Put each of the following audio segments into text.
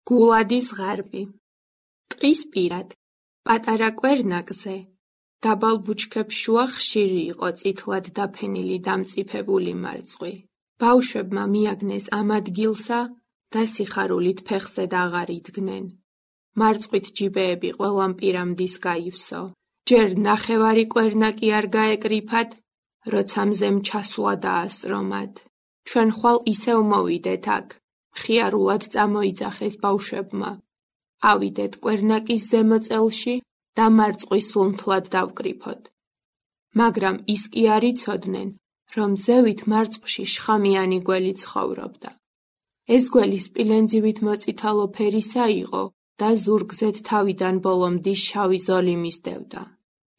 გულადის ღარბი. ტყის პირად, პატარა კვერნაკზე, დაბალ ბუჩქებს შუა ხშირი იყო წითლად დაფენილი დამწიფებული მარწყვი. ბავშვებმა მიაგნეს ამ ადგილსა და სიხარულით ფეხზე აღარ იდგნენ. მარწყვით ჯიბეები ყველამ პირამდის გაივსო. ჯერ ნახევარი კვერნაკი არ გაეკრიფათ, როცა მზემ ჩასვლა დაასწრომათ. ჩვენ ხვალ ისევ მოვიდეთ აქ, მხიარულად წამოიძახეს ბავშვებმა. ავიდეთ კვერნაკის ზემო წელში და მარწყვი სულ მთლად დავკრიფოთ. მაგრამ ის კი არ იცოდნენ, რომ ზევით მარწყვში შხამიანი გველი ცხოვრობდა. ეს გველი სპილენძივით მოწითალო ფერისა იყო და ზურგზედ თავიდან ბოლომდე შავი ზოლი მისდევდა.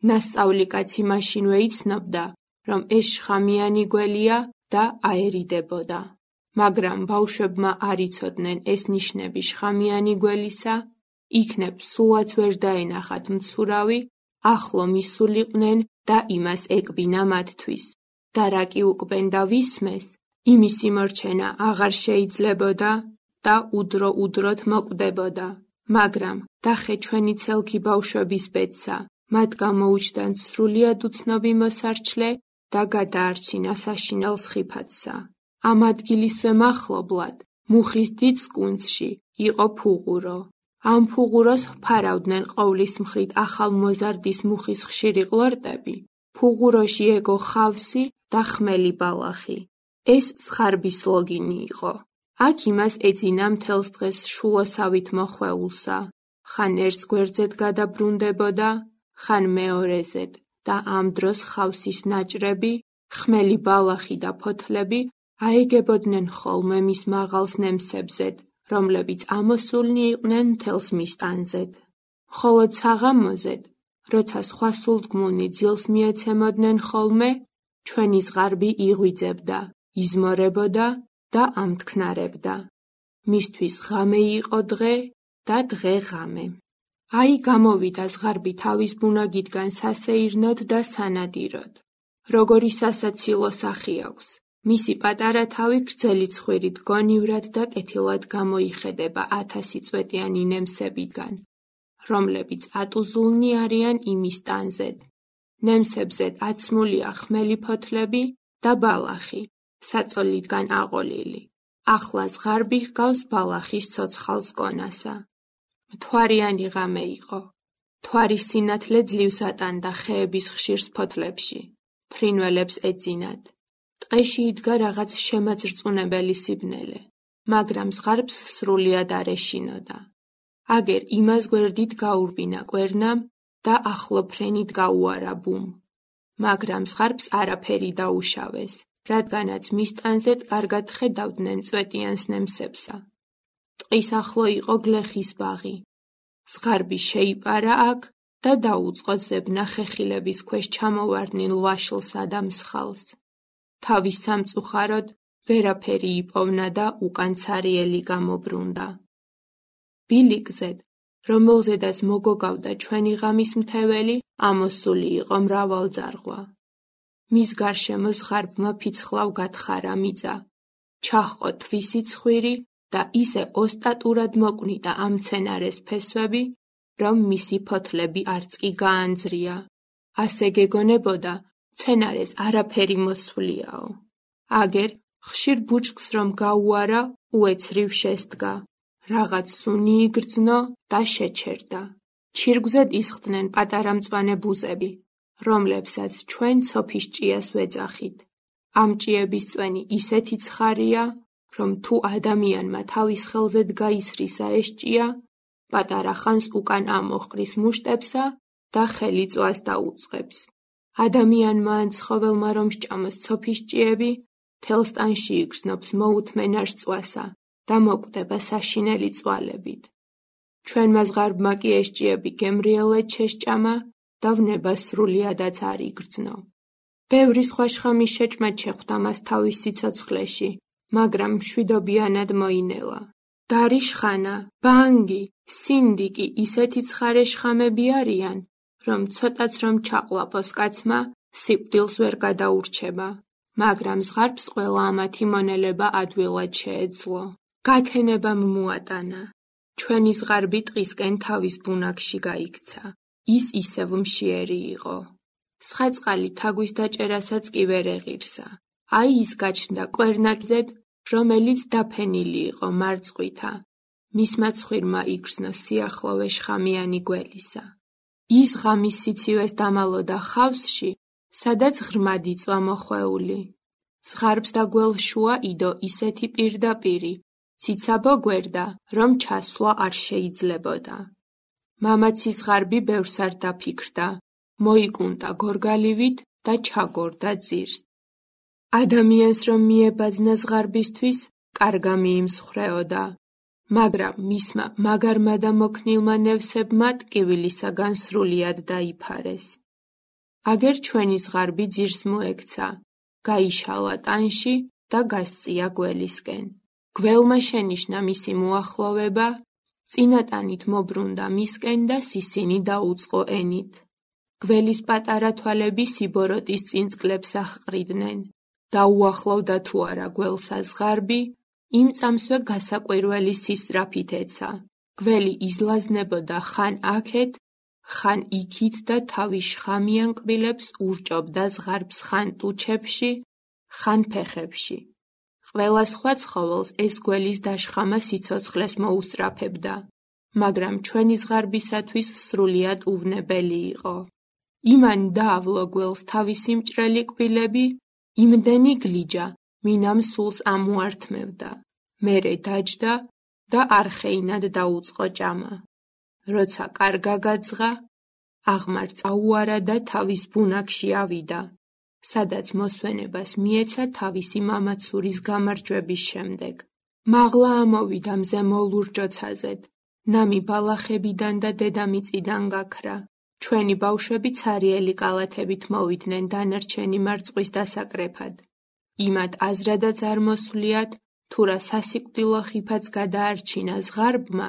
ნასწავლი კაცი მაშინვე იცნობდა, რომ ეს შხამიანი გველია და აერიდებოდა. მაგრამ ბავშვებმა არ იცოდნენ ეს ნიშნები შხამიანი გველისა, იქნებ სულაც ვერ დაენახათ მცურავი, ახლო მისულიყვნენ და იმას ეკბინა მათთვის. და რა კი უკბენ და ვისმეს, იმის იმორჩენა აღარ შეიძლებოდა და უდრო-უდროთ მოკვდებოდა. მაგრამ დახე ჩვენი ცელქი ბავშვების ბედსა, მათ გამოუჩნდათ სრულიად უცნობი მოსარჩლე და გადაარჩინა საშინელ სხიფათსა. ამ ადგილისვე მახლობლად, მუხის დიდ კუნძში, იყო ფუღურო. ამ ფუღუროს ფარავდნენ ყოვლის მხრით ახალმოზარდის მუხის ხშირი ყლორტები. ფუღუროში ეგო ხავსი და ხმელი ბალახი. ეს ზღარბის ლოგინი იყო. აქ იმას ეძინა მთელს დღეს შულოსავით მოხვეულსა. ხან ერთს გვერდზედ გადაბრუნდებოდა, ხან მეორეზედ და ამ დროს ხავსის ნაჭრები, ხმელი ბალახი და ფოთლები აეგებოდნენ ხოლმე მის მაღალს ნემსებზედ, რომლებიც ამოსულნი იყვნენ მთელს მისტანზედ. მხოლოდ საღამოზედ, როცა სხვა სულდგმულნი ძილს მიეცემოდნენ ხოლმე, ჩვენი ზღარბი იღვიძებდა, იზმორებოდა და ამთქნარებდა. მისთვის ღამე იყო დღე და დღე ღამე. აი გამოვიდა ზღარბი თავის ბუნაგიდან სასეირნოდ და სანადიროდ. როგორი სასაცილო სახი აქვს. მისი პატარა თავი გრძელი ცხვირით გონივრად და კეთილად გამოიხედება 1000 წვეტიანი ნემსებიდან, რომლებიც ატუზულნი არიან იმის ტანზედ. ნემსებზედ აცმულია ხმელი ფოთლები და ბალახი, საწოლიდან აყოლილი. ახლა ზღარბი ჰგავს ბალახის ცოცხალს კონასა. მთვარიანი ღამე იყო. მთვარის სინათლე ძლივს ატანდა ხეების ხშირ ფოთლებში. ფრინველებს ეძინათ. ტყეში იდგა რაღაც შემაძრწუნებელი სიბნელე, მაგრამ ზღარბს სრულიად არ ეშინოდა. აგერ იმას გვერდით გაურბინა კვერნამ და ახლო ფრენით გაუარა ბუმ. მაგრამ ზღარბს არაფერი დაუშავეს, რადგანაც მის ტანზედ კარგად ხედავდნენ წვეტიანს ნემსებსა. ტყის ახლო იყო გლეხის ბაღი. ზღარბი შეიპარა აქ და დაუწყო ზებნა ხეხილების ქვეშ ჩამოვარდნილ ვაშლსა და მსხალს. თავის სამწუხაროდ ვერაფერი იპოვნა და უკან ცარიელი გამობრუნდა. ბილიკზედ, რომელზედაც მოგოგავდა ჩვენი ღამის მთეველი, ამოსული იყო მრავალძარღვა. მის გარშემო ზღარბმა ფიცხლავ გათხარა მიწა. ჩაჰყო თვისი ცხვირი და ისე ოსტატურად მოკვნიდა ამ მცენარეს ფესვები, რომ მისი ფოთლები არც კი გაანძრია. ასე გეგონებოდა, მცენარეს არაფერი მოსვლიაო. აგერ ხშირ ბუჩქს რომ გაუარა, უეცრივ შესდგა. რაღაც სუნი იგრძნო და შეჩერდა. ჩირგვზედ ისხდნენ პატარა მწვანე ბუზები, რომლებსაც ჩვენ ცოფის ჭიას ვეძახით. ამ ჭიების წვენი ისეთი ცხარია, რომ თუ ადამიანმა თავის ხელზედ გაისრისა ეს ჭია, პატარა ხანს უკან ამოჰყრის მუშტებსა და ხელი წვას დაუწყებს. ადამიანმა ან ცხოველმა რომ სჭამოს ცოფის ჭიები, თელს ტანში იგრძნობს მოუთმენარ წვასა და მოკვდება საშინელი წვალებით. ჩვენმა ზღარბმა კი ეს ჭიები გემრიელად შესჭამა და ვნება სრულიადაც არ იგრძნო. ბევრი სხვა შხამის შეჭმა შეხვდა მას თავის სიცოცხლეში, მაგრამ მშვიდობიანად მოინელა. დარიშხანა, ბანგი, სინდიკი ისეთი ცხარე შხამები არიან, რომ ცოტაც რომ ჩაყლაპოს კაცმა, სიკვდილს ვერ გადაურჩება. მაგრამ ზღარბს ყველა ამათი მონელება ადვილად შეეძლო. გათენებამ მოატანა. ჩვენი ზღარბი ტყისკენ თავის ბუნაგში გაიქცა. ის ისევ მშიერი იყო. სხაწყალი თაგვის დაჭერასაც კი ვერ ეღირსა. აი ის გაჩნდა კვერნაკზედ, რომელიც დაფენილი იყო მარწყვითა. მისმა ცხვირმა იგრძნო სიახლოვე შხამიანი გველისა. ის ღამის სიცივეს დამალოდა ხავსში, სადაც ღრმად იწვა მოხვეული. ზღარბს და გველს შუა იდო ისეთი პირდაპირი, ციცაბო გვერდა, რომ ჩასვლა არ შეიძლებოდა. მამაცი ზღარბი ბევრს არ დაფიქრდა, მოიკუნტა გორგალივით და ჩაგორდა ძირს. ადამიანს რომ მიებაძნა ზღარბისთვის, კარგა მიიმსხვრეოდა, მაგრამ მისმა მაგარმა და მოქნილმა ნევსებმა ტკივილისაგან სრულიად დაიფარეს. აგერ ჩვენი ზღარბი ძირს მოექცა, გაიშალა ტანში და გასწია გველისკენ. გველმა შენიშნა მისი მოახლოვება, წინატანით მობრუნდა მისკენ და სისინი დაუწყო ენით. გველის პატარა თვალები სიბოროტის წინწკლებს აჰყრიდნენ. დაუახლოვდა თუ არა გველსა ზღარბი, იმ წამსვე გასაკვირველი სისწრაფით ეცა. გველი იზლაზნებოდა ხან აქეთ, ხან იქით და თავის შხამიან კბილებს ურჭობდა ზღარბს ხან ტუჩებში, ხან ფეხებში. ყველა სხვა ცხოველს ეს გველის დაშხამა სიცოცხლეს მოუსწრაფებდა, მაგრამ ჩვენი ზღარბისათვის სრულიად უვნებელი იყო. იმან დაავლო გველს თავისი მჭრელი კბილები, იმდენი გლიჯა, მინამ სულს ამუართმევდა. მერე დაჯდა და არხეინად დაუწყო ჭამა. როცა კარგა გაძღა, აღმარ წაუარა და თავის ბუნაგში ავიდა, სადაც მოსვენებას მიეცა თავისი მამაცურის გამარჯვების შემდეგ. მაღლა ამოვიდა მზემო ლურჯოცაზედ, ნამი ბალახებიდან და დედამიწიდან გაქრა. ჩვენი ბავშვები ცარიელი კალათებით მოვიდნენ დანარჩენი მარწყვის დასაკრეფად. იმად აზრადაც არ მოსვლიათ, თუ რა სასიკვდილო ხიფაც გადაარჩინა ზღარბმა,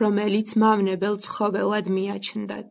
რომელიც მავნებელ ცხოველად მიაჩნდათ.